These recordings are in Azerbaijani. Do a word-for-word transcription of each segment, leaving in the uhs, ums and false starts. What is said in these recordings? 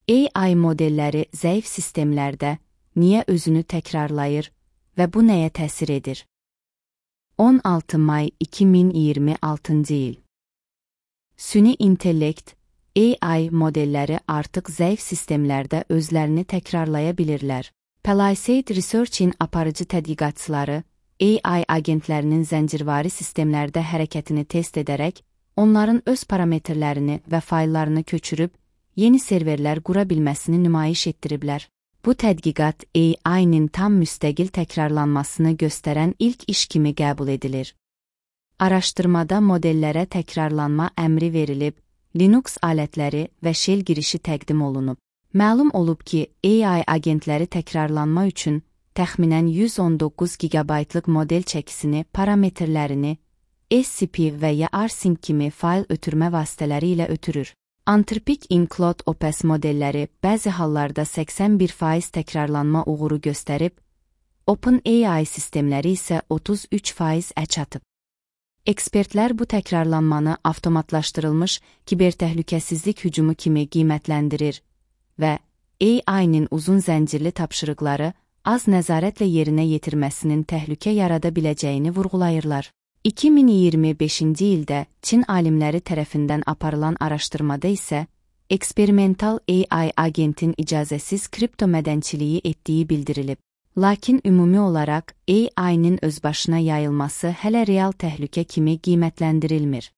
A I modelləri zəif sistemlərdə niyə özünü təkrarlayır və bu nəyə təsir edir? on altı may iki min iyirmi altıncı il. Süni intellekt, A I modelləri artıq zəif sistemlərdə özlərini təkrarlaya bilirlər. Palisade Research-in aparıcı tədqiqatçıları A I agentlərinin zəncirvari sistemlərdə hərəkətini test edərək, onların öz parametrlərini və fayllarını köçürüb, yeni serverlər qura bilməsini nümayiş etdiriblər. Bu tədqiqat A I-nin tam müstəqil təkrarlanmasını göstərən ilk iş kimi qəbul edilir. Araşdırmada modellərə təkrarlanma əmri verilib, Linux alətləri və shell girişi təqdim olunub. Məlum olub ki, A I agentləri təkrarlanma üçün təxminən yüz on doqquz gigabaytlıq model çəkisini, parametrlərini, S C P və ya rsync kimi fayl ötürmə vasitələri ilə ötürür. Anthropic Include O P S modelləri bəzi hallarda səksən bir faiz təkrarlanma uğuru göstərib, OpenAI sistemləri isə otuz üç faiz əç atıb. Ekspertlər bu təkrarlanmanı avtomatlaşdırılmış kibertəhlükəsizlik hücumu kimi qiymətləndirir və A I-nin uzun zəncirli tapşırıqları az nəzarətlə yerinə yetirməsinin təhlükə yarada biləcəyini vurğulayırlar. iki min iyirmi beşinci ildə Çin alimləri tərəfindən aparılan araşdırmada isə eksperimental A I agentin icazəsiz kriptomədənçiliyi etdiyi bildirilib. Lakin ümumi olaraq A I-nin özbaşına yayılması hələ real təhlükə kimi qiymətləndirilmir.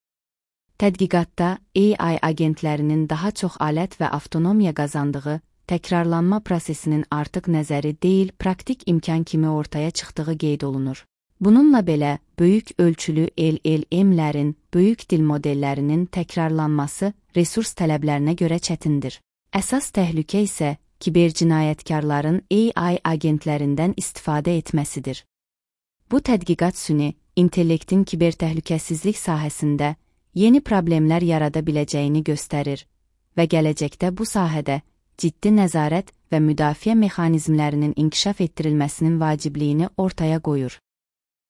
Tədqiqatda A I agentlərinin daha çox alət və avtonomiya qazandığı, təkrarlanma prosesinin artıq nəzəri deyil, praktik imkan kimi ortaya çıxdığı qeyd olunur. Bununla belə, böyük ölçülü L L M-lərin, böyük dil modellərinin təkrarlanması resurs tələblərinə görə çətindir. Əsas təhlükə isə kibercinayətkarların A I agentlərindən istifadə etməsidir. Bu tədqiqat süni, intellektin kibertəhlükəsizlik sahəsində yeni problemlər yarada biləcəyini göstərir və gələcəkdə bu sahədə ciddi nəzarət və müdafiə mexanizmlərinin inkişaf etdirilməsinin vacibliyini ortaya qoyur.